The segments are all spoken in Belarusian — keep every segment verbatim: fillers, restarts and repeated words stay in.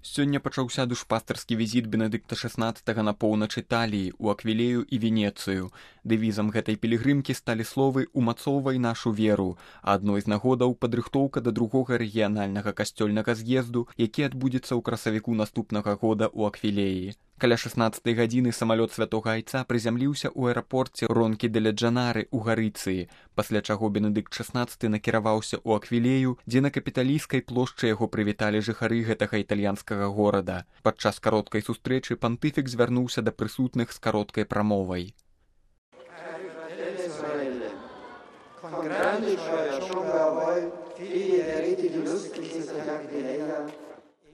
Сёння пачаўся душпастарскі візіт Бенедыкта шаснаццатага на поўнач Італіі, у Аквілею і Венецыю. Дэвізам гэтай пілігрымкі сталі словы «Умацоўвай нашу веру», а адной з нагодаў падрыхтоўка да другога рэгіянальнага касцёльнага з'езду, які адбудзецца ў красавіку наступнага года ў Аквілеі. Каля шаснаццатай гадзіны самалёт святога айца прызямліўся ў аэрапорце Ронкі-дэля-Джанары ў Гарыцыі, пасля чаго Бенедыкт шаснаццаты накіраваўся ў Аквілею, дзе на капіталійскай плошчы яго прывіталі жыхары гэтага італьянскага горада. Падчас кароткай сустрэчы пантыфік звярнуўся да прысутных з кароткай прамовай.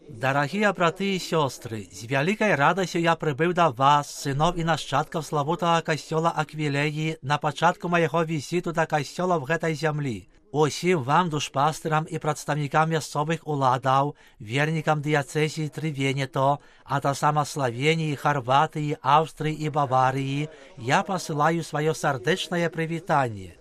Дорогие браты и сестры, с великой радостью я прибыл до вас, сынов и нащадков славутого костела Аквилеи, на початку моего визиту до костелов этой земли. Усім вам, душпастерам и представникам мясцовых уладаў, верникам диацезии Тревенето, а то само Словении, Хорватии, Австрии и Баварии, я посылаю свое сердечное привитание.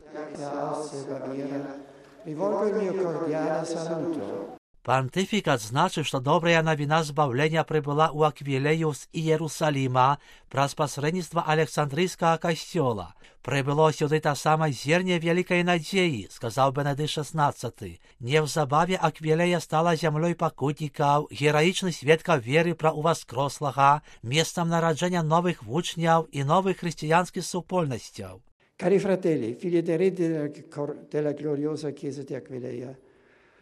Пантифик отзначив, что добрая новина збавления прибыла у Аквилею з Иерусалима праз посредництво Александрийского костела. Прибыло сюда та самая зерня великой надеи, сказал Бенедикт шаснаццаты. Невзабаве Аквилея стала землей покутников, героичных свідків веры про увоскрослого, местом народжения новых вучняв и новых христианских супольностей. Cari fratelli, figli ed eredi della gloriosa Chiesa di Aquileia,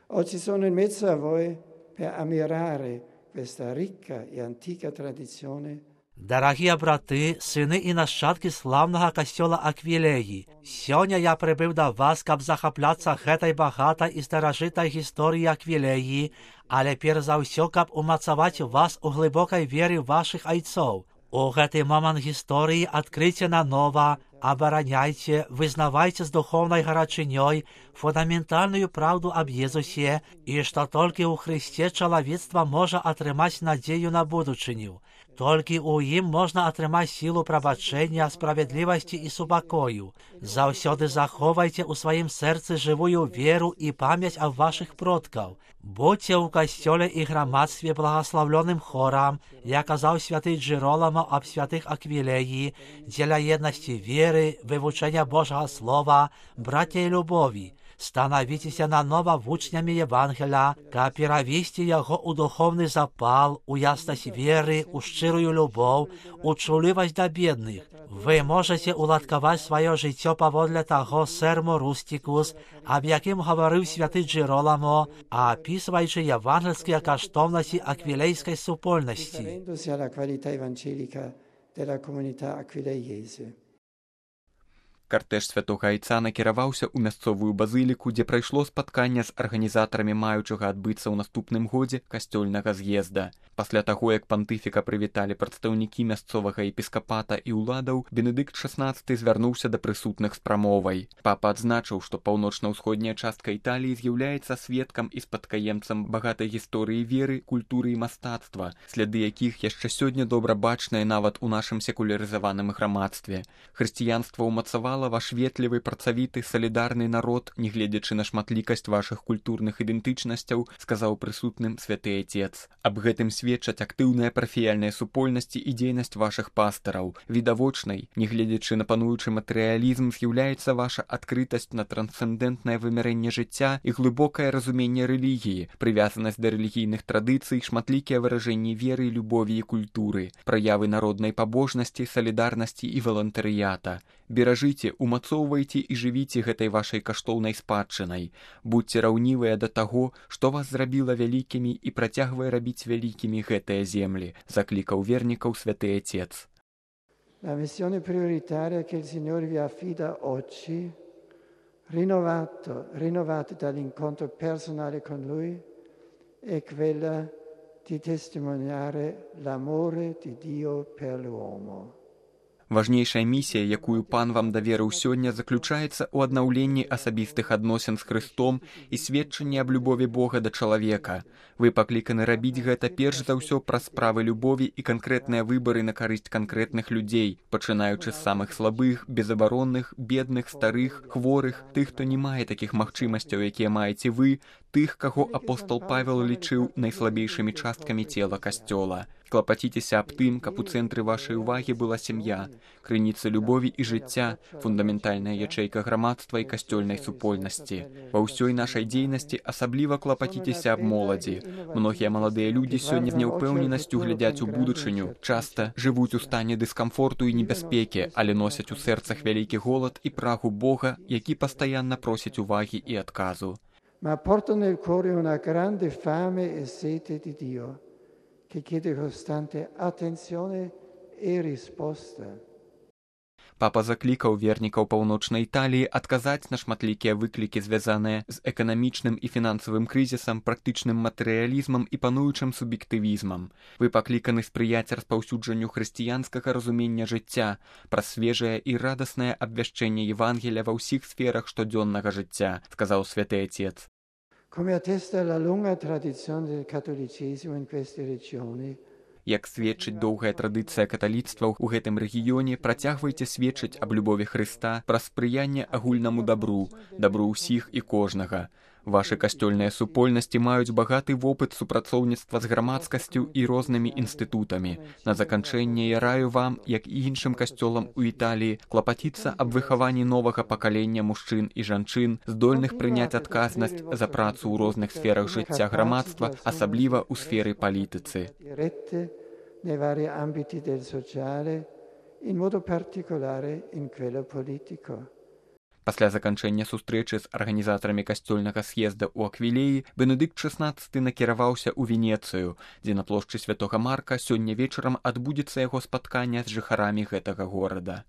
oggi sono in mezzo a voi per ammirare questa ricca e antica tradizione. Дорогие браты, сыны и нащадки славного костела Аквилеи, сегодня я прибыл до вас, каб захопляться этой богатой и старожитой историей Аквилеи, але перш за все, каб умацовать вас у глубокой вере ваших отцов. У гэты момент истории открытие наново, обороняйте, вызнавайте с духовной горячиней фундаментальную правду об Иисусе, и что только у Христе человечество может отрымать надею на будущее. Только у им можно отрымать силу пробачения, справедливости и супокою. Завсёды заховайте у своим сердце живую веру и память о ваших предков. Будьте у костеле и громадстве благословленным хором, я казал святый Джероломо об святых Аквилеи, для едности веры, вывучения Божьего Слова, братья и любови. Становитесь наново вучнями Евангелия, ка перавести его у духовный запал, у ясность веры, у щирую любовь, у чуливость до бедных. Вы можете уладковать свое життя поводле того сермо рустикус, об яким говорил святый Джероломо, а описываючи евангельские коштовности аквилейской супольности. Картэж святога айца накіраваўся ў мясцовую базыліку, дзе прайшло спатканне з арганізатарамі маючага адбыцца ў наступным годзе касцёльнага з'езда. Пасля таго, як пантыфіка прывіталі прадстаўнікі мясцовага епіскапата і ўладаў, Бенедыкт шаснаццаты звярнуўся да прысутных з прамовай. Папа адзначыў, што паўночна-ўсходняя частка Італіі з'яўляецца сведкам і спадкаемцам багатай гісторыі веры, культуры і мастацтва, сляды якіх яшчэ сёння добра бачныя нават у нашым секулярызаваным грамадстве. Хрысціянства ўмацавала ваш ветлівы, працавіты, салідарны народ, нягледзячы на шматлікасць вашых культурных ідэнтычнасцяў, сказаў прысутным святы Отец. Аб гэтым сведчаць актыўная парафіяльная супольнасць і дзейнасць вашых пастараў. Відавочнай, нягледзячы на пануючы матэрыялізм, з'яўляецца ваша адкрытасць на трансцэндэнтнае вымярэнне жыцця і глыбокае разуменне рэлігіі, прывязанасць да рэлігійных традыцый, шматлікія выражэнні веры, любові і культуры, праявы народнай пабожнасці, салідарнасці і валантарыята. Беражыце, умацоўвайце і жывіце гэтай вашай каштоўнай спадчынай. Будьце раўнівыя да таго, што вас зрабіла вялікімі і працягвае рабіць вялікімі гэтыя землі, заклікаў вернікаў святы Отец. La missione prioritaria che il Signore vi affida oggi, rinnovato, rinnovata dall'incontro personale con Lui, è quella di testimoniare l'amore di Dio per l'uomo. Важнейшая місія, якую пан вам даверыў сёння, заключаецца ў аднаўленні асабістых адносін з Хрыстом і сведчанні аб любові Бога да чалавека. Вы пакліканы рабіць гэта перш за ўсё праз справы любові і канкрэтныя выбары на карысць канкрэтных людзей, пачынаючы з самых слабых, безабаронных, бедных, старых, хворых, тых, хто не мае такіх магчымасцяў, якія маеце вы, тых, каго апостол Павел лічыў найслабейшымі часткамі цела Касцёла. Клапаціцеся аб тым, каб у цэнтры вашай увагі была сям'я, крыніца любові і жыцця, фундаментальная ячэйка грамадства і касцёльнай супольнасці. Ва ўсёй нашай дзейнасці асабліва клапаціцеся аб моладзі. Многія маладыя людзі сёння з няўпэўненасцю глядзяць у будучыню, часта жывуць у стане дыскамфорту і небяспекі, але носяць у сэрцах вялікі голад і прагу Бога, які пастаянна просіць увагі і адказу. Ma portano nel cuore una grande fame e sete di Dio, che chiede costante attenzione e risposta. Папа заклікаў вернікаў паўночнай Італіі адказаць на шматлікія выклікі, звязаныя з эканамічным і фінансавым крызісам, практычным матэрыялізмам і пануючым суб'ектывізмам. Вы пакліканы спрыяць распаўсюджанню хрысціянскага разумення жыцця, праз свежае і радаснае абвяшчэнне Евангелія ва ўсіх сферах штодзённага жыцця, сказаў святы Отец. Come attesta la lunga tradizione del cattolicesimo in queste regioni, Як сведчыць доўгая традыцыя каталіцтва ў гэтым рэгіёне, працягвайце сведчыць аб любові Хрыста праз спрыянне агульнаму дабру, дабру ўсіх і кожнага. Вашы касцёльныя супольнасці маюць багаты вопыт супрацоўніцтва з грамадскасцю і рознымі інстытутамі. На заканчэнне я раю вам, як і іншым касцёлам у Італіі, клапаціцца аб выхаванні новага пакалення мужчын і жанчын, здольных прыняць адказнасць за працу ў розных сферах жыцця грамадства, асабліва ў сферы палітыцы. nei vari ambiti del sociale, in modo particolare in quello politico. Пасля заканчэння сустрэчы з арганізатарамі касцёльнага з'езда ў Аквілеі, Бенедыкт шаснаццаты накіраваўся ў Венецыю, дзе на плошчы святога Марка сёння вечарам адбудзецца яго спатканне з жыхарамі гэтага горада.